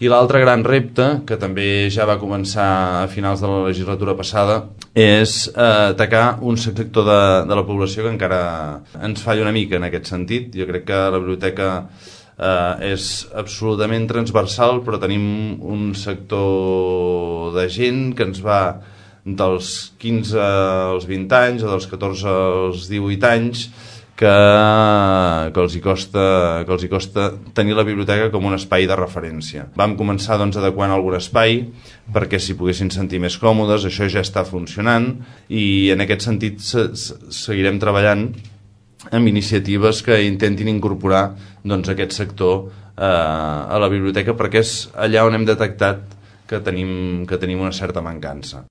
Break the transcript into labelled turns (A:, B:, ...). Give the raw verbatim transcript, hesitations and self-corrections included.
A: I l'altre gran repte, que també ja va començar a finals de la legislatura passada, és eh, atacar un sector de, de la població que encara ens falla una mica en aquest sentit. Jo crec que la biblioteca eh, és absolutament transversal, però tenim un sector de gent que ens va dels quinze als vint anys o dels catorze als divuit anys que, que, els hi costa, que els hi costa tenir la biblioteca com un espai de referència. Vam començar doncs, adequant algun espai perquè s'hi poguessin sentir més còmodes, això ja està funcionant i en aquest sentit se, se, seguirem treballant amb iniciatives que intentin incorporar doncs, aquest sector eh, a la biblioteca perquè és allà on hem detectat que tenim, que tenim una certa mancança.